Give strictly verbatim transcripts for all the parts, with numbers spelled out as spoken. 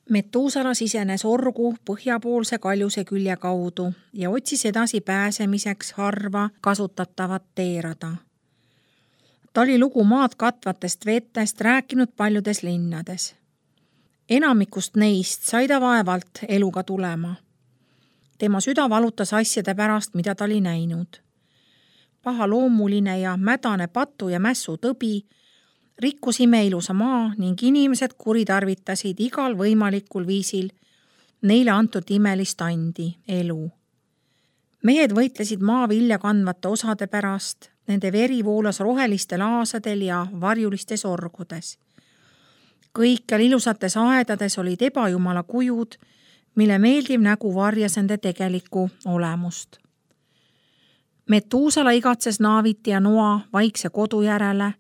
Metuusala sisenes orgu põhjapoolse kaljuse külje kaudu ja otsis edasi pääsemiseks harva kasutatavat teerada. Ta oli lugu maad katvatest vetest rääkinud paljudes linnades. Enamikust neist sai ta vaevalt eluga tulema. Tema süda valutas asjade pärast, mida ta oli näinud. Pahaloomuline ja mädane patu ja mässu tõbi rikkus imeilusa maa ning inimesed kuritarvitasid igal võimalikul viisil neile antud imelist andi, elu. Mehed võitlesid maa vilja kandvate osade pärast, nende veri voolas rohelistel aasadel ja varjulistes orgudes. Kõikjal ilusates aedades olid ebajumala kujud, mille meeldiv nägu varjas nende tegelikku olemust. Metuusala igatses Naaviti ja Noa vaikse kodu järele.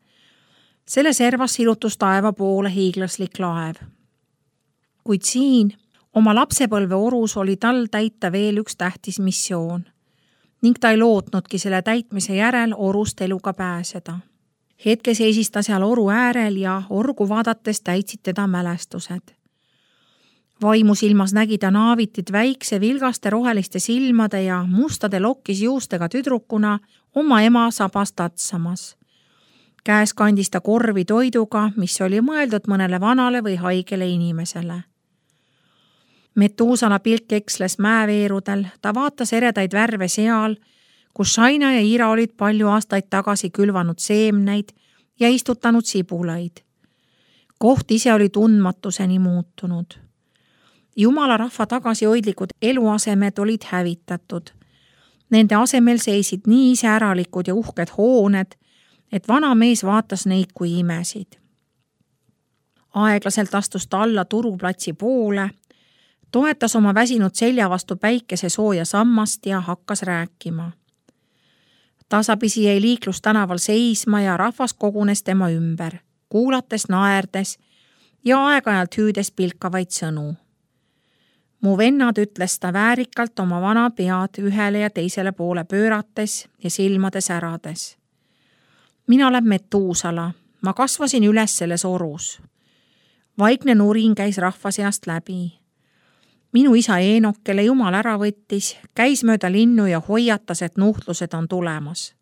Selle servas silutus taeva poole hiiglaslik laev. Kuid siin, oma lapsepõlve orus, oli tal täita veel üks tähtis missioon ning ta ei lootnudki selle täitmise järel orust eluga pääseda. Hetke seisis ta seal oru äärel ja orgu vaadates täitsid teda mälestused. Vaimusilmas nägi ta Naavitit väikse vilgaste roheliste silmade ja mustade lokkis juustega tüdrukuna oma ema sabas tatsamas. Käes kandis ta korvi toiduga, mis oli mõeldud mõnele vanale või haigele inimesele. Metuusala pilk eksles mäeveerudel, ta vaatas eredaid värve seal, kus Shaina ja Ira olid palju aastaid tagasi külvanud seemneid ja istutanud sibulaid. Koht ise oli tundmatuseni muutunud. Jumala rahva tagasihoidlikud eluasemed olid hävitatud. Nende asemel seisid nii iseäralikud ja uhked hooned, et vana mees vaatas neid kui imesid. Aeglaselt astus ta alla turuplatsi poole, toetas oma väsinud selja vastu päikese sooja sammast ja hakkas rääkima. Tasapisi jäi liiklus tänaval seisma ja rahvas kogunes tema ümber, kuulates, naerdes ja aeg-ajalt hüüdes pilkavaid sõnu. Mu vennad, ütles ta väärikalt oma vana pead ühele ja teisele poole pöörates ja silmade särades. Mina olen Metuusala, ma kasvasin üles selles orus. Vaikne nurin käis rahva seast läbi. Minu isa Eenok, kelle Jumal ära võttis, käis mööda linnu ja hoiatas, et nuhtlused on tulemas.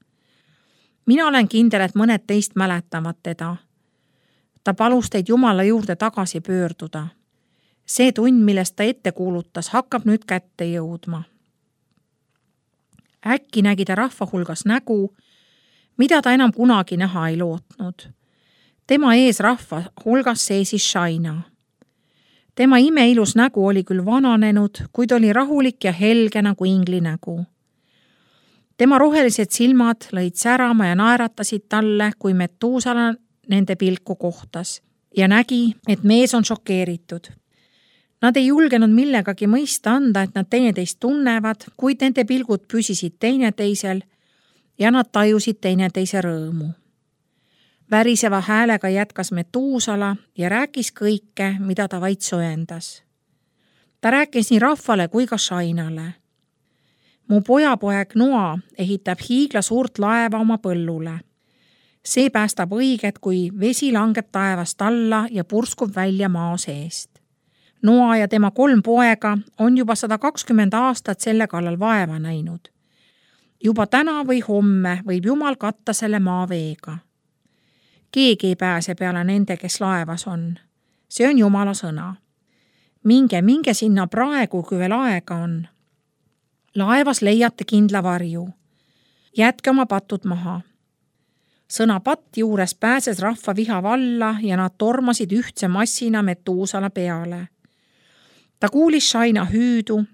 Mina olen kindel, et mõned teist mäletavad teda. Ta palus teid Jumala juurde tagasi pöörduda. See tund, millest ta ette kuulutas, hakkab nüüd kätte jõudma. Äkki nägi ta rahva hulgas nägu, mida ta enam kunagi näha ei lootnud. Tema ees rahva hulgas seisis Shaina. Tema imeilus nägu oli küll vananenud, kuid oli rahulik ja helge nagu ingli nägu. Tema rohelised silmad lõid särama ja naeratasid talle, kui Metuusala nende pilku kohtas ja nägi, et mees on šokeeritud. Nad ei julgenud millegagi mõista anda, et nad teineteist tunnevad, kuid nende pilgud püsisid teineteisel ja nad tajusid teineteise rõõmu. Väriseva häälega jätkas Metuusala ja rääkis kõike, mida ta vaid soendas. Ta rääkis nii rahvale kui ka Shainale. Mu pojapoeg Noa ehitab hiigla suurt laeva oma põllule. See päästab õiget, kui vesi langeb taevast alla ja purskub välja maa seest. Noa ja tema kolm poega on juba sada kakskümmend aastat selle kallal vaeva näinud. Juba täna või homme võib Jumal katta selle maa veega. Keegi ei pääse peale nende, kes laevas on. See on Jumala sõna. Minge, minge sinna praegu, kui veel aega on. Laevas leiate kindla varju. Jätke oma patud maha. Sõna patt juures pääses rahva viha valla ja nad tormasid ühtse massina Metuusala peale. Ta kuulis Shaina hüüdu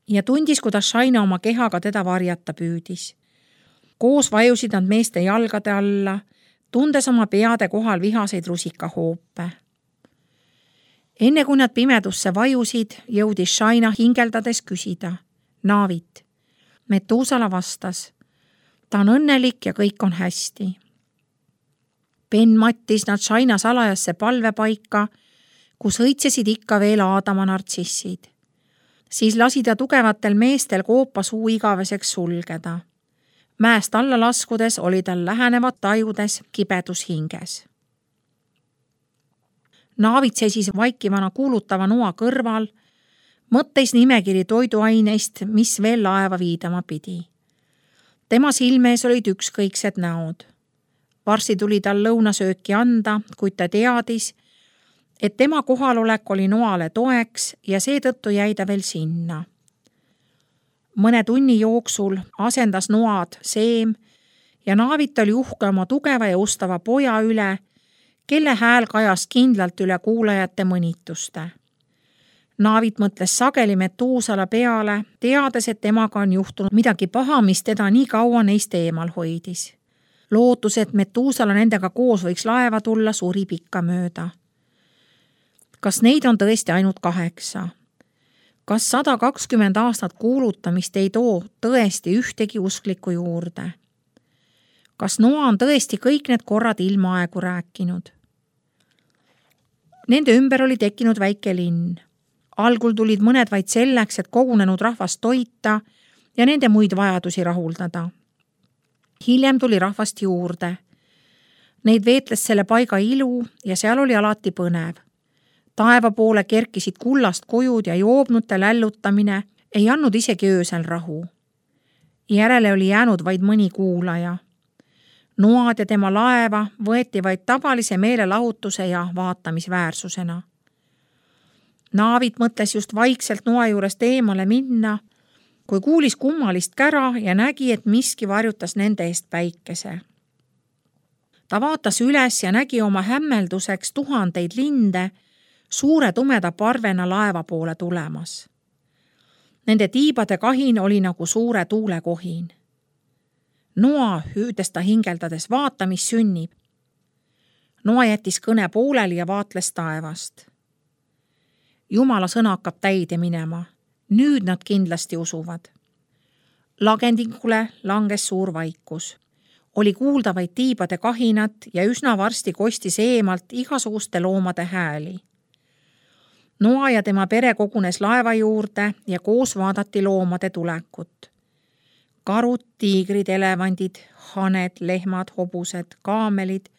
ja tundis, kuidas Shaina oma kehaga teda varjata püüdis. Koos vajusid nad meeste jalgade alla, tundes oma peade kohal vihaseid rusikahoope. Enne kui nad pimedusse vajusid, jõudis Shaina hingeldades küsida. Naavit. Metuusala vastas. Ta on õnnelik ja kõik on hästi. Ben mattis nad Shaina salajasse palvepaika, kus õitsesid ikka veel Aadama nartsissid. Siis lasi ta tugevatel meestel koopa suu igaveseks sulgeda. Mäest alla laskudes oli tal lähenevad tajudes kibedus hinges. Naavit seisis vaikivana kuulutava noa kõrval, mõtteis nimekiri toiduaineist, mis veel laeva viidama pidi. Tema silmees olid ükskõiksed näod. Varsti tuli tal lõunasööki anda, kuid ta teadis, et tema kohalolek oli noale toeks ja seetõttu jäi ta veel sinna. Mõne tunni jooksul asendas noad Seem ja Naavit oli uhke oma tugeva ja ustava poja üle, kelle hääl kajas kindlalt üle kuulajate mõnituste. Naavit mõtles sageli Metuusala peale, teades, et temaga on juhtunud midagi paha, mis teda nii kaua neist eemal hoidis. Lootus, et Metuusala nendega koos võiks laeva tulla, suri pikka mööda. Kas neid on tõesti ainult kaheksa? Kas sada kakskümmend aastat kuulutamist ei too tõesti ühtegi usklikku juurde? Kas Noa on tõesti kõik need korrad ilmaaegu rääkinud? Nende ümber oli tekkinud väike linn. Algul tulid mõned vaid selleks, et kogunenud rahvast toita ja nende muid vajadusi rahuldada. Hiljem tuli rahvast juurde. Neid veetles selle paiga ilu ja seal oli alati põnev. Taeva poole kerkisid kullast kujud ja joobnute lällutamine ei andnud isegi öösel rahu. Järele oli jäänud vaid mõni kuulaja. Noad ja tema laeva võeti vaid tavalise meelelahutuse ja vaatamisväärsusena. Naavit mõtles just vaikselt noa juurest eemale minna, kui kuulis kummalist kära ja nägi, et miski varjutas nende eest päikese. Ta vaatas üles ja nägi oma hämmelduseks tuhandeid linde suure tumeda parvena laeva poole tulemas. Nende tiibade kahin oli nagu suure tuulekohin. Noa hüüdes ta hingeldades, vaata, mis sünnib. Noa jättis kõne pooleli ja vaatles taevast. Jumala sõna hakkab täide minema. Nüüd nad kindlasti usuvad. Lagendingule langes suur vaikus. Oli kuulda vaid tiibade kahinat ja üsna varsti kostis eemalt igasuguste loomade hääli. Noa ja tema pere kogunes laeva juurde ja koos vaadati loomade tulekut. Karud, tiigrid, elevandid, haned, lehmad, hobused, kaamelid,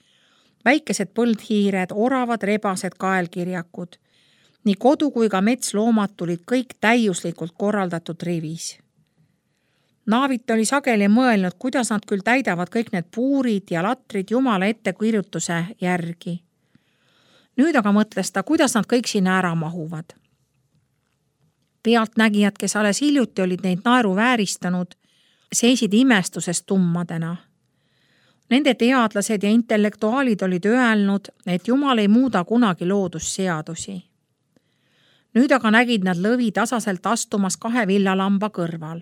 väikesed põldhiired, oravad, rebased, kaelkirjakud. Nii kodu kui ka metsloomad tulid kõik täiuslikult korraldatud rivis. Naavit oli sageli mõelnud, kuidas nad küll täidavad kõik need puurid ja latrid Jumala ettekirjutuse järgi. Nüüd aga mõtles ta, kuidas nad kõik sinna ära mahuvad. Pealtnägijad, kes alles hiljuti olid neid naeru vääristanud, seisid imestusest tummadena. Nende teadlased ja intellektuaalid olid öelnud, et Jumal ei muuda kunagi loodusseadusi. Nüüd aga nägid nad lõvi tasaselt astumas kahe villalamba kõrval.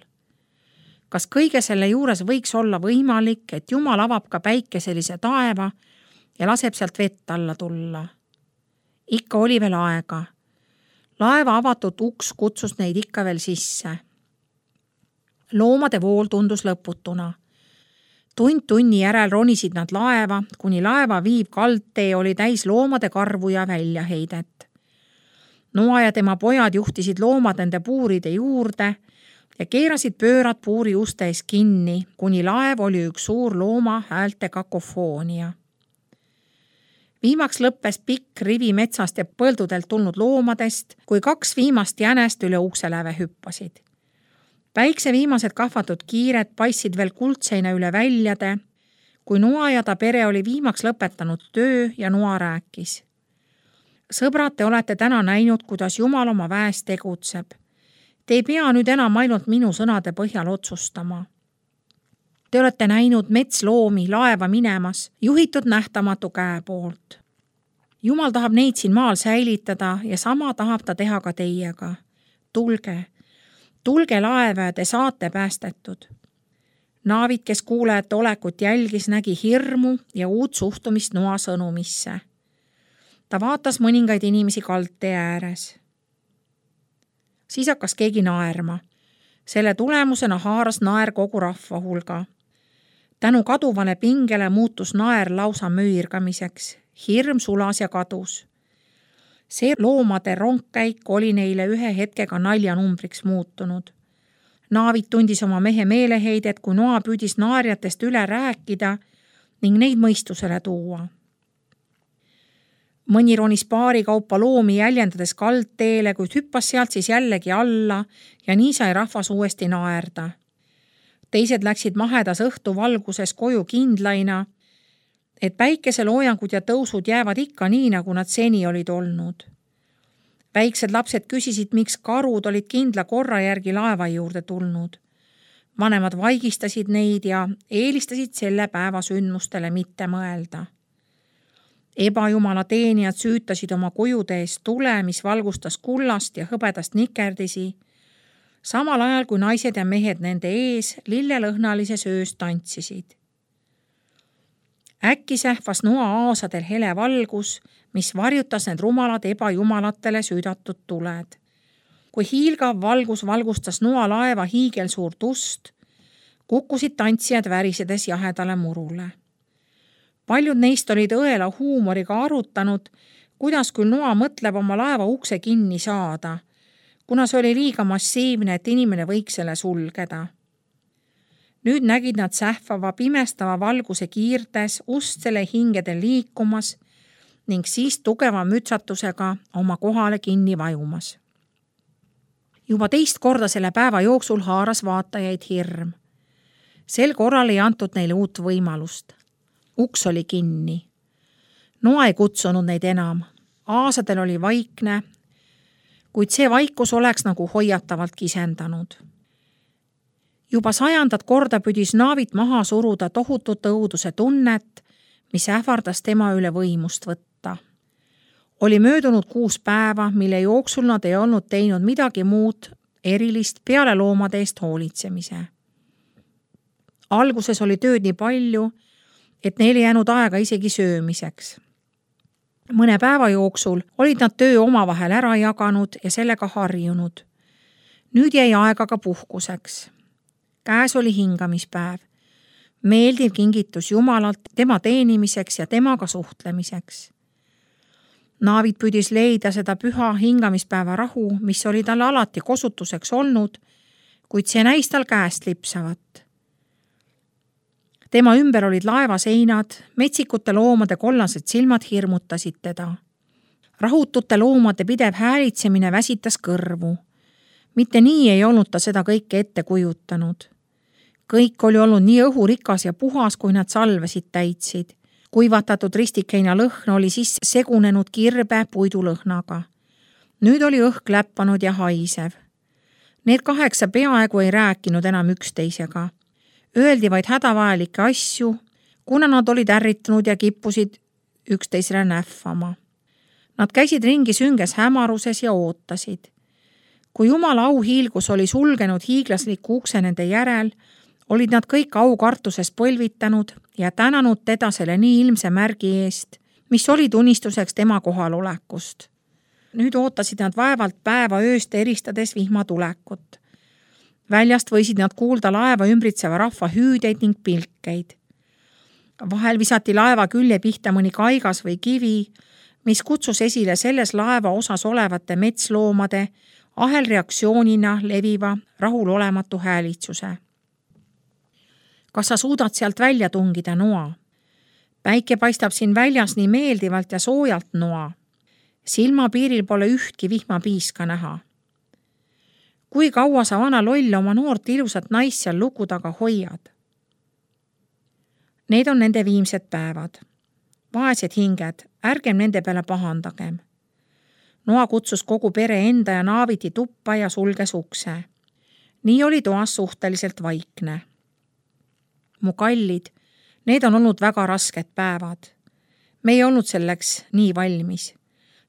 Kas kõige selle juures võiks olla võimalik, et Jumal avab ka päikeselise taeva ja laseb sealt vett alla tulla? Ikka oli veel aega. Laeva avatud uks kutsus neid ikka veel sisse. Loomade vool tundus lõputuna. Tund tunni järel ronisid nad laeva, kuni laeva viiv kaldtee oli täis loomade karvu ja väljaheidet. Noa ja tema pojad juhtisid loomad nende puuride juurde ja keerasid pöörad puuri uste ees kinni, kuni laev oli üks suur looma häälte kakofoonia. Viimaks lõppes pikk rivi metsast ja põldudelt tulnud loomadest, kui kaks viimast jänest üle ukseläve hüppasid. Päikse viimased kahvatud kiired paissid veel kuldseina üle väljade, kui Noa ja ta pere oli viimaks lõpetanud töö ja Noa rääkis. Sõbrad, te olete täna näinud, kuidas Jumal oma väes tegutseb. Te ei pea nüüd enam ainult minu sõnade põhjal otsustama. Te olete näinud metsloomi laeva minemas, juhitud nähtamatu käe poolt. Jumal tahab neid siin maal säilitada ja sama tahab ta teha ka teiega. Tulge, tulge laeva ja te saate päästetud. Naavit, kes kuulajate olekut jälgis, nägi hirmu ja uut suhtumist Noa sõnumisse. Ta vaatas mõningaid inimesi kaldtee ääres. Siis hakkas keegi naerma. Selle tulemusena haaras naer kogu rahva hulga. Tänu kaduvale pingele muutus naer lausa möirgamiseks. Hirm sulas ja kadus. See loomade rongkäik oli neile ühe hetkega naljanumbriks muutunud. Naavit tundis oma mehe meeleheidet, kui Noa püüdis naarjatest üle rääkida ning neid mõistusele tuua. Mõni ronis paari kaupa loomi jäljendades kaldteele, kuid hüppas sealt siis jällegi alla ja nii sai rahvas uuesti naerda. Teised läksid mahedas õhtu valguses koju kindlaina, et päikeseloojangud ja tõusud jäävad ikka nii, nagu nad seni olid olnud. Väiksed lapsed küsisid, miks karud olid kindla korra järgi laeva juurde tulnud. Vanemad vaigistasid neid ja eelistasid selle päeva sündmustele mitte mõelda. Ebajumala teenijad süütasid oma kujude eest tule, mis valgustas kullast ja hõbedast nikerdisi, samal ajal kui naised ja mehed nende ees lillelõhnalises öös tantsisid. Äkki sähvas noa aasadel hele valgus, mis varjutas need rumalad ebajumalatele süüdatud tuled. Kui hiilgav valgus valgustas noa laeva hiigelsuurt ust, kukkusid tantsijad värisedes jahedale murule. Paljud neist olid õela huumoriga arutanud, kuidas küll noa mõtleb oma laeva ukse kinni saada, kuna see oli liiga massiivne, et inimene võiks selle sulgeda. Nüüd nägid nad sähvava pimestava valguse kiirtes ustele hingedel liikumas ning siis tugeva mütsatusega oma kohale kinni vajumas. Juba teist korda selle päeva jooksul haaras vaatajaid hirm. Sel korral ei antud neile uut võimalust. Uks oli kinni. Noa ei kutsunud neid enam. Aasadel oli vaikne, kuid see vaikus oleks nagu hoiatavalt kisendanud. Juba sajandat korda püdis naavit maha suruda tohutut õuduse tunnet, mis ähvardas tema üle võimust võtta. Oli möödunud kuus päeva, mille jooksul nad ei olnud teinud midagi muud erilist peale loomade eest hoolitsemise. Alguses oli tööd nii palju, et neil ei jäänud aega isegi söömiseks. Mõne päeva jooksul olid nad töö omavahel ära jaganud ja sellega harjunud. Nüüd jäi aega ka puhkuseks. Käes oli hingamispäev. Meeldiv kingitus Jumalalt tema teenimiseks ja temaga suhtlemiseks. Naavit püüdis leida seda püha hingamispäeva rahu, mis oli talle alati kosutuseks olnud, kuid see näis tal käest lipsavat. Tema ümber olid laevaseinad, metsikute loomade kollased silmad hirmutasid teda. Rahutute loomade pidev häälitsemine väsitas kõrvu. Mitte nii ei olnud ta seda kõike ette kujutanud. Kõik oli olnud nii õhurikas ja puhas, kui nad salvesid täitsid. Kuivatatud ristikeina lõhn oli siis segunenud kirbe puidulõhnaga. Nüüd oli õhk läppanud ja haisev. Need kaheksa peaaegu ei rääkinud enam üksteisega. Öeldi vaid hädavajalikke asju, kuna nad olid ärritunud ja kippusid üksteisele nähvama. Nad käisid ringi sünges hämaruses ja ootasid. Kui Jumala auhiilgus oli sulgenud hiiglasliku ukse nende järel, olid nad kõik aukartuses põlvitanud ja tänanud teda selle nii ilmse märgi eest, mis oli tunnistuseks tema kohalolekust. Nüüd ootasid nad vaevalt päeva ööst eristades vihma tulekut. Väljast võisid nad kuulda laeva ümbritseva rahva hüüdeid ning pilkeid. Vahel visati laeva külje pihta mõni kaigas või kivi, mis kutsus esile selles laeva osas olevate metsloomade ahelreaktsioonina leviva rahulolematu häälitsuse. Kas sa suudad sealt välja tungida, Noa? Päike paistab siin väljas nii meeldivalt ja soojalt, Noa. Silmapiiril pole ühtki vihmapiiska näha. Kui kaua sa vana loll oma noort ilusat naist seal luku taga hoiad? Need on nende viimsed päevad. Vaesed hinged, ärgem nende peale pahandagem. Noa kutsus kogu pere enda ja naaviti tuppa ja sulges ukse. Nii oli toas suhteliselt vaikne. Mu kallid, need on olnud väga rasked päevad. Me ei olnud selleks nii valmis.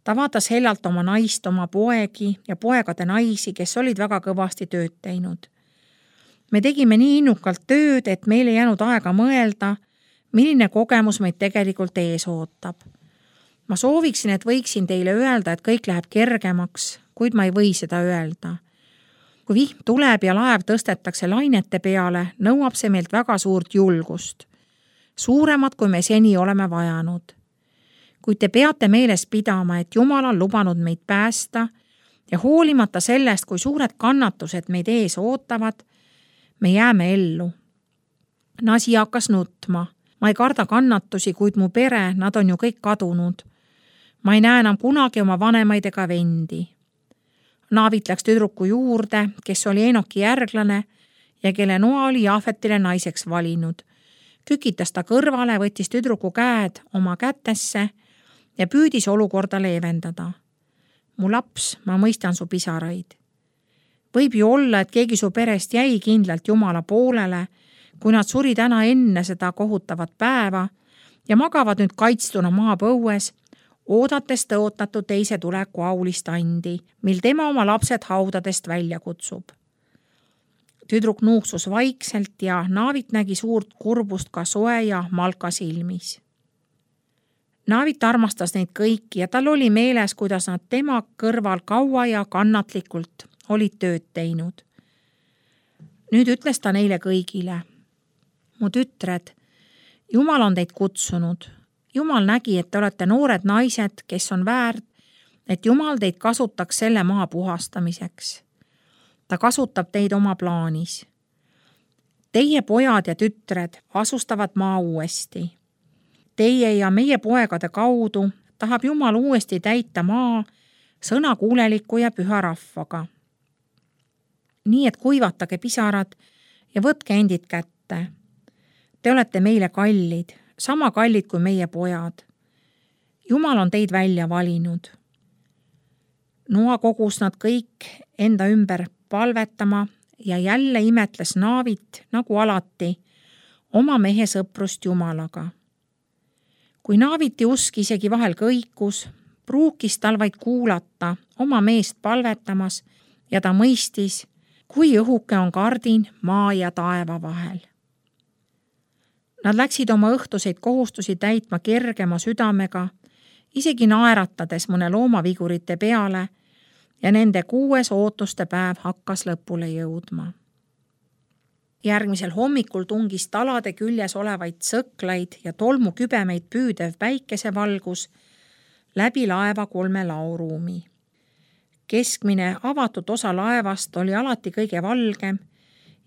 Ta vaatas hellalt oma naist, oma poegi ja poegade naisi, kes olid väga kõvasti tööd teinud. Me tegime nii innukalt tööd, et meil ei jäänud aega mõelda, milline kogemus meid tegelikult ees ootab. Ma sooviksin, et võiksin teile öelda, et kõik läheb kergemaks, kuid ma ei või seda öelda. Kui vihm tuleb ja laev tõstetakse lainete peale, nõuab see meilt väga suurt julgust. Suuremat, kui me seni oleme vajanud. Kuid te peate meeles pidama, et Jumal on lubanud meid päästa ja hoolimata sellest, kui suured kannatused meid ees ootavad, me jääme ellu. Nasi hakkas nutma. Ma ei karda kannatusi, kuid mu pere, nad on ju kõik kadunud. Ma ei näe enam kunagi oma vanemaid ega vendi. Naavit läks tüdruku juurde, kes oli Enoki järglane ja kelle Noa oli Jaafetile naiseks valinud. Kükitas ta kõrvale, võttis tüdruku käed oma kätesse ja püüdis olukorda leevendada. Mu laps, ma mõistan su pisaraid. Võib ju olla, et keegi su perest jäi kindlalt Jumala poolele, kui nad suri täna enne seda kohutavat päeva ja magavad nüüd kaitstuna maapõues, oodates tõotatud teise tuleku aulist andi, mil tema oma lapsed haudadest välja kutsub. Tüdruk nuuksus vaikselt ja Naavit nägi suurt kurbust ka soe ja Malka silmis. Naavit armastas neid kõiki ja tal oli meeles, kuidas nad tema kõrval kaua ja kannatlikult olid tööd teinud. Nüüd ütles ta neile kõigile. Mu tütred, Jumal on teid kutsunud. Jumal nägi, et te olete noored naised, kes on väärt, et Jumal teid kasutaks selle maa puhastamiseks. Ta kasutab teid oma plaanis. Teie pojad ja tütred asustavad maa uuesti. Teie ja meie poegade kaudu tahab Jumal uuesti täita maa sõnakuuleliku ja püha rahvaga. Nii et kuivatage pisarad ja võtke endid kätte. Te olete meile kallid, sama kallid kui meie pojad. Jumal on teid välja valinud. Noa kogus nad kõik enda ümber palvetama ja jälle imetles Naavit, nagu alati, oma mehe sõprust Jumalaga. Kui Naaviti usk isegi vahel kõikus, pruukis tal vaid kuulata oma meest palvetamas ja ta mõistis, kui õhuke on kardin maa ja taeva vahel. Nad läksid oma õhtuseid kohustusi täitma kergema südamega, isegi naeratades mõne loomavigurite peale ja nende kuues ootuste päev hakkas lõpule jõudma. Järgmisel hommikul tungis talade küljes olevaid sõklaid ja tolmukübemeid püüdev päikesevalgus läbi laeva kolme laoruumi. Keskmine avatud osa laevast oli alati kõige valgem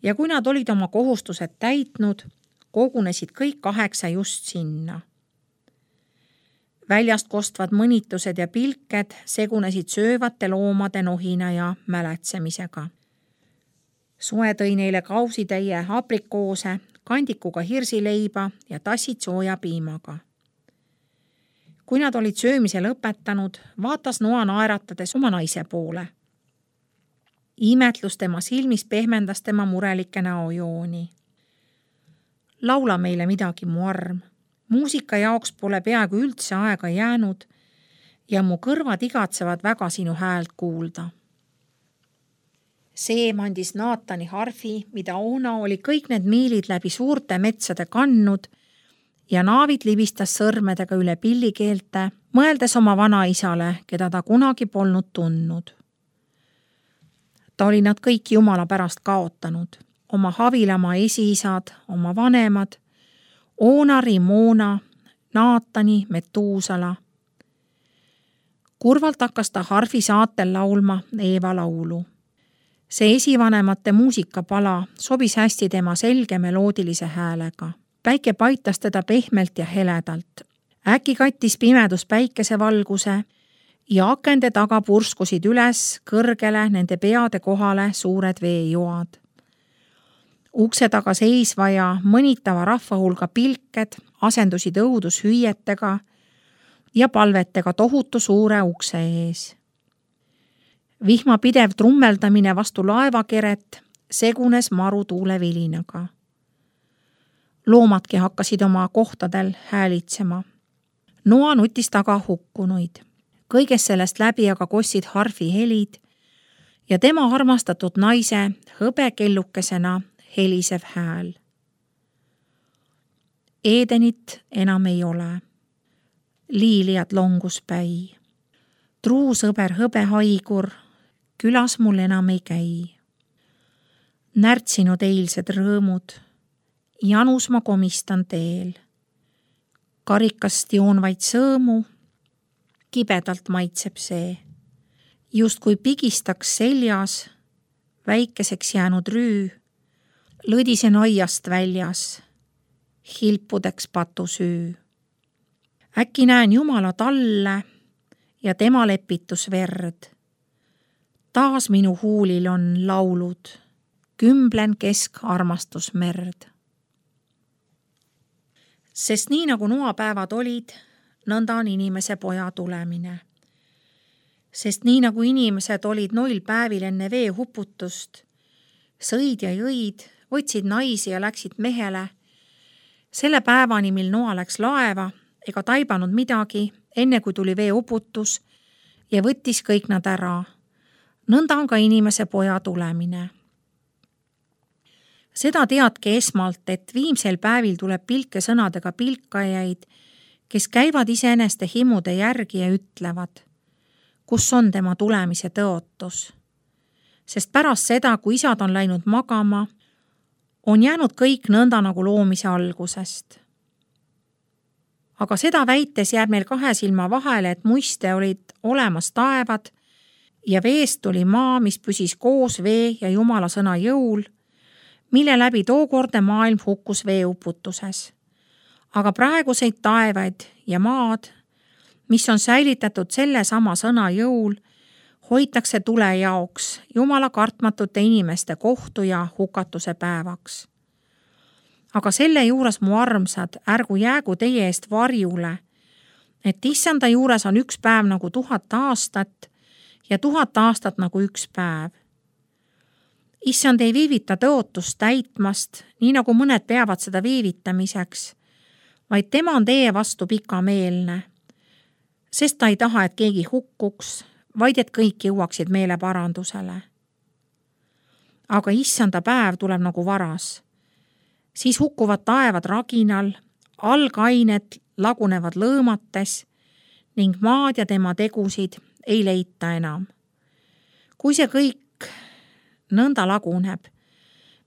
ja kui nad olid oma kohustused täitnud, kogunesid kõik kaheksa just sinna. Väljast kostvad mõnitused ja pilked segunesid söövate loomade nohina ja mäletsemisega. Soe tõi neile kausitäie aprikoose, kandikuga hirsileiba ja tassid sooja piimaga. Kui nad olid söömise lõpetanud, vaatas Noa naeratades oma naise poole. Imetlus tema silmis pehmendas tema murelikke näojooni. Laula meile midagi, mu arm. Muusika jaoks pole peaaegu üldse aega jäänud ja mu kõrvad igatsevad väga sinu häält kuulda. Seem andis Naatani harfi, mida Oona oli kõik need miilid läbi suurte metsade kandnud ja Naavit libistas sõrmedega üle pillikeelte, mõeldes oma vanaisale, keda ta kunagi polnud tundnud. Ta oli nad kõik Jumala pärast kaotanud, oma Havilamaa esiisad, oma vanemad, Oonari, Moona, Naatani, Metuusala. Kurvalt hakkas ta harfi saatel laulma Eeva laulu. See esivanemate muusikapala sobis hästi tema selge meloodilise häälega. Päike paitas teda pehmelt ja heledalt. Äkki kattis pimedus päikesevalguse ja akende taga purskusid üles kõrgele nende peade kohale suured veejoad. Ukse taga seisva ja mõnitava rahva hulga pilked asendusid õudushüüetega ja palvetega tohutu suure ukse ees. Vihma pidev trummeldamine vastu laevakeret segunes marutuule vilinaga. Loomadki hakkasid oma kohtadel häälitsema. Noa nutis taga hukkunuid. Kõigest sellest läbi aga kossid harfi helid ja tema armastatud naise hõbekellukesena helisev hääl. Edenit enam ei ole. Liiliad longus päi. Truu sõber hõbehaigur, külas mul enam ei käi. Närtsinud eilsed rõõmud, janus ma komistan teel. Karikast joon vaid sõõmu, kibedalt maitseb see. Just kui pigistaks seljas, väikeseks jäänud rüü, lõdisen aiast väljas, hilpudeks patusüü. Äkki näen Jumala talle, ja tema lepitusverd. Taas minu huulil on laulud, kümblen kesk armastusmerd. Sest nii nagu noapäevad olid, nõnda on inimese poja tulemine. Sest nii nagu inimesed olid noil päevil enne vee huputust, sõid ja jõid, võtsid naisi ja läksid mehele, selle päevani, mil Noa läks laeva ega taibanud midagi, enne kui tuli vee uputus ja võttis kõik nad ära. Nõnda on ka inimese poja tulemine. Seda teadke esmalt, et viimsel päevil tuleb pilke sõnadega pilkajaid, kes käivad iseeneste himude järgi ja ütlevad, kus on tema tulemise tõotus. Sest pärast seda, kui isad on läinud magama, on jäänud kõik nõnda nagu loomise algusest. Aga seda väites jääb meil kahe silma vahele, et muiste olid olemas taevad ja veest tuli maa, mis püsis koos vee ja Jumala sõna jõul, mille läbi tookordne maailm hukkus veeuputuses. Aga praeguseid taevaid ja maad, mis on säilitatud selle sama sõna jõul, hoitakse tule jaoks Jumala kartmatute inimeste kohtu ja hukatuse päevaks. Aga selle juures, mu armsad, ärgu jäägu teie eest varjule, et issanda juures on üks päev nagu tuhat aastat ja tuhat aastat nagu üks päev. Issand ei viivita tõotust täitmast, nii nagu mõned peavad seda viivitamiseks, vaid tema on teie vastu pikameelne, sest ta ei taha, et keegi hukkuks, vaid et kõik jõuaksid meeleparandusele. Aga issanda päev tuleb nagu varas. Siis hukkuvad taevad raginal, algained lagunevad lõõmates ning maad ja tema tegusid ei leita enam. Kui see kõik nõnda laguneb,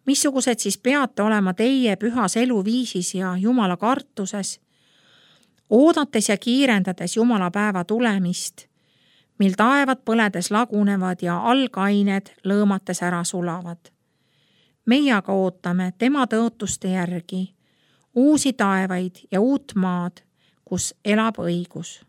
missugused siis peate olema teie pühas eluviisis ja Jumala kartuses, oodates ja kiirendades Jumala päeva tulemist, mil taevad põledes lagunevad ja algained lõõmates ära sulavad. Meie aga ootame tema tõotuste järgi uusi taevaid ja uut maad, kus elab õigus.